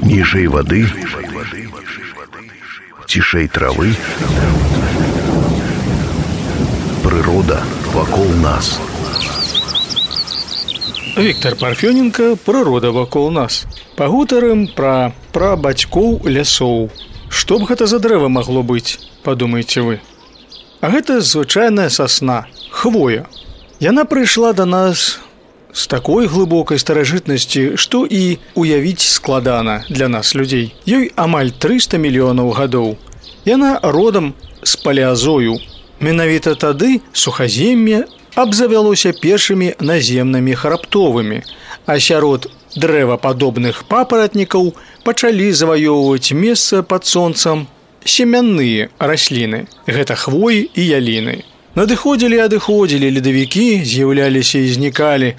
Ніжэй вады, цішэй травы, прырода вакол нас. Віктор Парфёненко, прырода вакол нас. Пагутарым пра прабацькоў лясоў. Што б гэта за дрэва магло быць, падумаеце вы? А гэта звычайная сасна, хвоя. Яна прыйшла да нас з такой глыбокай старажытнасці, што і уявіць складана для нас, людзей. Ёй амаль 300 мільёнаў гадоў. Яна родам з палеазою. Менавіта тады сухазем'е абзавялося першымі наземнымі храптовымі, а сярод дрэвападобных папаратнікаў пачалі заваёўваць месца пад сонцам семянныя расліны. Гэта хвоі і яліны. Надыходзілі і адыходзілі ледавікі, з'яўляліся і знікалі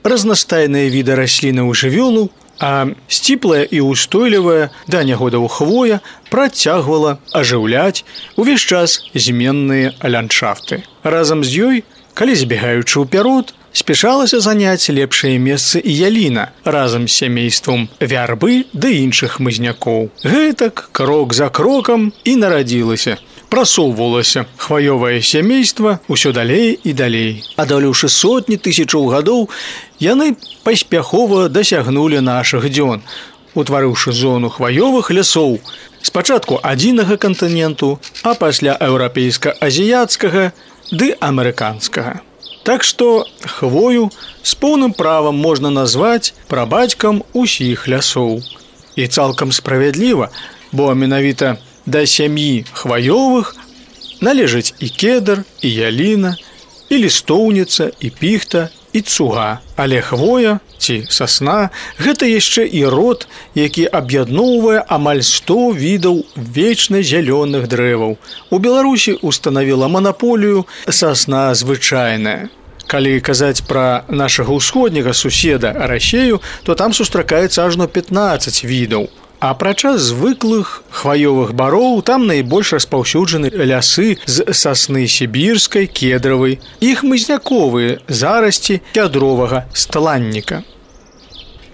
разнастайныя віды раслінаў і жывёлаў, а сціплая і ўстойлівая да нягодаў хвоя працягвала ажыўляць увесь час зменныя ландшафты. Разам з ёй, калі збегаючы ўперод, спяшалася заняць лепшае месцы і яліна разам з сямействам вярбы ды іншых хмызнякоў. Гэтак, крок за крокам і нарадзілася. Прасоўвалася хваёвае сямейства ўсё далей і далей. Адолеўшы сотні тысячаў гадоў, яны паспяхова дасягнулі нашых дзён, утварыўшы зону хваёвых лясоў спачатку адзінага кантыненту, а пасля еўрапейска-азіяцкага ды амерыканскага. Так што хвою з поўным правам можна назваць прабацькам усіх лясоў. І цалкам справядліва, бо менавіта да сям'і хваёвых належаць і кедр, і яліна, і лістоўніца, і піхта, і цуга. Але хвоя ці сасна – гэта яшчэ і род, які аб'ядноўвае амаль 100 відаў вечна зялёных дрэваў. У Беларусі устанавіла манаполію сасна звычайная. Калі казаць пра нашага ўсходняга суседа Расею, то там сустракаецца ажно 15 відаў. Апрача звыклых хваёвых бароў, там найбольш распаўсюджаны лясы з сасны сібірскай, кедравай і хмызняковыя зарасці кядровага сталанніка.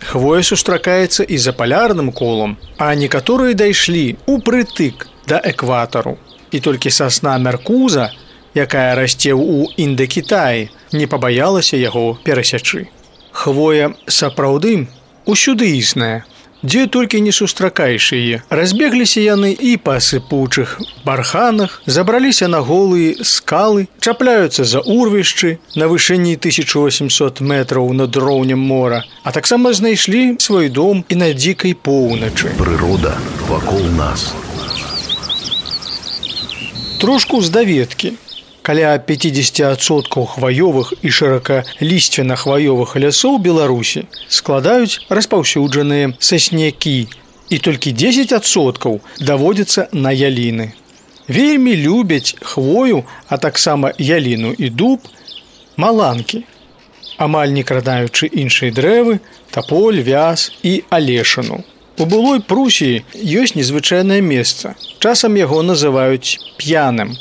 Хвоя сустракаецца і за палярным колам, а некаторыя дайшлі упрытык да экватару. І толькі сасна мяркуза, якая расце ў Індакітаі, не пабаялася яго перасячы. Хвоя сапраўды усюды існая, дзе толькі не сустракаеш яе. Разбегліся яны і па сыпучых барханах, забраліся на голыя скалы, чапляюцца за урвішчы на вышыні 1800 метраў над роўнем мора, а таксама знайшлі свой дом і на дзікай поўначы. Прырода вакол нас. Трошку з даведкі. Каля 50% хваёвых і шыракалісцвена-хваёвых лясоў Беларусі складаюць распаўсюджаныя саснякі, і толькі 10% даводзіцца на яліны. Вельмі любяць хвою, а таксама яліну і дуб, маланкі, амаль не крадаючы іншыя дрэвы, таполь, вяз і алешыну. У былой Прусіі ёсць незвычайнае месца. Часам яго называюць п'яным.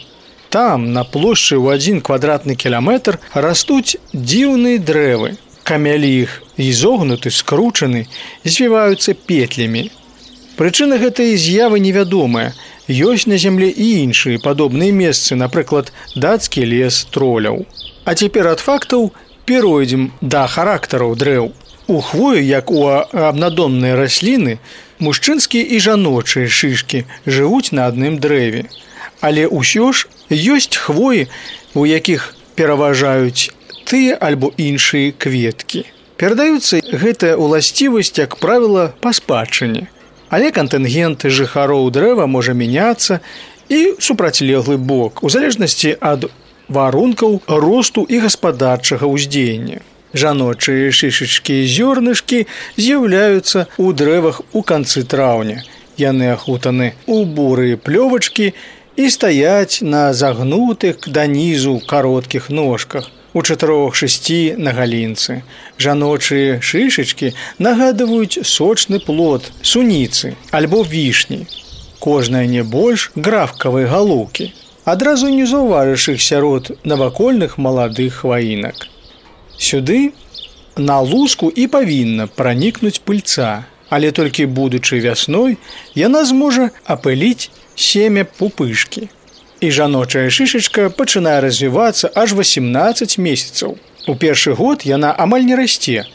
Там, на плошчы ў 1 квадратны кіламетр, растуць дзіўныя дрэвы. Камялі іх ізогнуты, скручаны, звіваюцца петлямі. Прычына гэтай з'явы невядомая. Ёсць на зямле і іншыя падобныя месцы, напрыклад, дацкі лес троляў. А цяпер ад фактаў перайдзем да характараў дрэў. У хвою, як у абнадомныя расліны, мужчынскія і жаночыя шышкі жывуць на адным дрэве. Але ўсё ж ёсць хвоі, у якіх пераважаюць тыя альбо іншыя кветкі. Перадаюцца гэтая ўласцівасць, як правіла, па спадчыне. Але кантынгент жыхароў дрэва можа мяняцца і супрацьлеглы бок, у залежнасці ад варункаў росту і гаспадарчага ўздзеяння. Жаночыя шышачкі і зёрнышкі з'яўляюцца ў дрэвах у канцы траўня. Яны ахутаны ў бурыя плёвачкі і стаяць на загнутых данізу кароткіх ножках у 4-6 на галінцы. Жаночыя шышачкі нагадваюць сочны плод суніцы альбо вішні. Кожная не больш графкавай галоўкі. Адразу не заўважыш іх сярод навакольных маладых хваінак. Сюды на луску і павінна пранікнуць пыльца, Але толькі будучы вясной, яна зможа апыліць семя пупышкі. І жаночая шышачка пачынае развівацца аж 18 месяцаў. У першы год яна амаль не расце,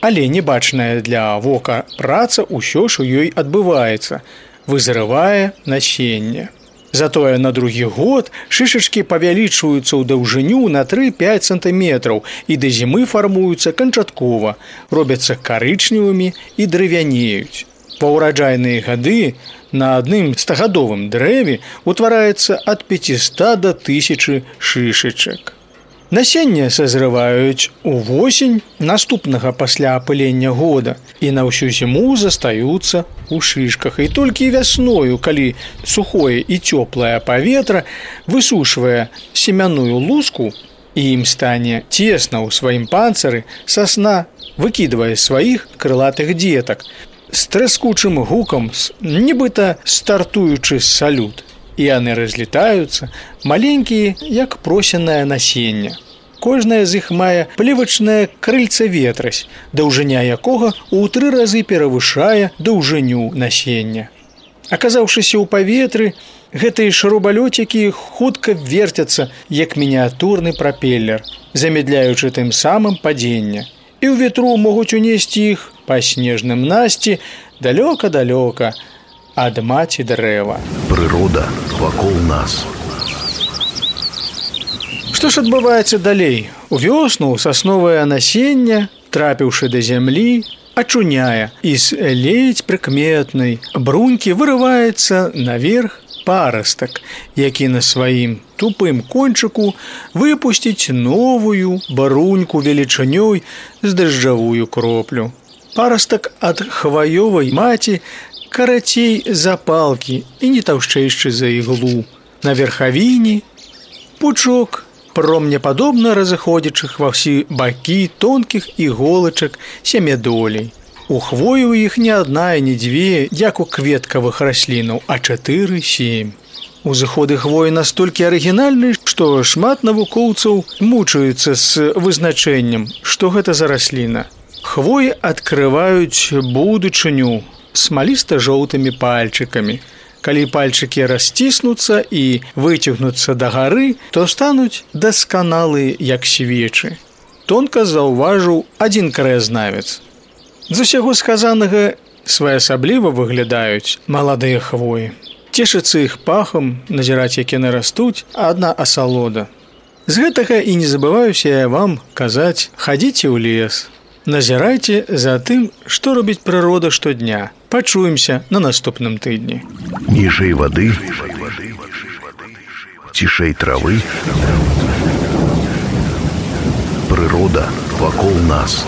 але небачная для вока праца ўсё ж у ёй адбываецца, вызрывае насенне. Затое на другі год шышачкі павялічваюцца ў даўжыню на 3-5 сантыметраў і да зімы фармуюцца канчаткова, робяцца карычневымі і дрывянеюць. Ва ўраджайныя гады на адным стагадовым дрэве утвараецца ад 500 да 1000 шышачак. Насенне сазрываюць увосень наступнага пасля апылення года і на ўсю зіму застаюцца ў шышках. І толькі вясною, калі сухое і цёплае паветра высушвае семяную луску і ім стане цесна ў сваім панцыры, сасна выкідвае сваіх крылатых дзетак з траскучым гукам, нібыта стартуючы з салют. І яны разлетаюцца, маленькія, як просенае насенне. Кожнае з іх мае плевачнае крыльца ветразь, даўжыня якога ў 3 разы перавышае даўжыню насення. Аказаўшыся ў паветры, гэтыя шарубалёцікі хутка верцяцца, як мініатурны прапеллер, замедляючы тым самым падзенне. І ў ветру могуць унесці іх па снежным насці далёка-далёка ад маці дрэва. Прырода вакол нас. Што ж адбываецца далей? У вёсну сасновае насенне, трапіўшы да зямлі, ачуняе, і з ледзь прыкметнай брунькі вырываецца наверх парастак, які на сваім тупым кончыку выпусціць новую бруньку велічынёй з дажджавую кроплю. Парастак ад хваёвай маці карацей за палкі і не таўшчэйшчы за іглу. На верхавіні пучок промнепадобна разыходзячых ва ўсе бакі тонкіх іголачак сямядолей. У хвою іх не адна і не дзве, як у кветкавых раслінаў, а 4-7. Узыходы хвоі настолькі арыгінальны, што шмат навукоўцаў мучаюцца з вызначэннем, што гэта за расліна. Хвоі адкрываюць будучыню смаліста-жоўтымі пальчыкамі. Калі пальчыкі расціснуцца і выцягнуцца дагары, то стануць дасканалы, як свечы. Тонка заўважыў адзін краязнавец. З усяго сказанага своеасабліва выглядаюць маладыя хвоі. Цешыцца іх пахам, назіраць, як яны растуць, адна асалода. З гэтага і не забываюся я вам казаць: хадзіце ў лес, назірайце за тым, што робіць прырода штодня. Пачуемся на наступным тыдні. Ніжэй вады, цішэй травы. Прырода вакол нас.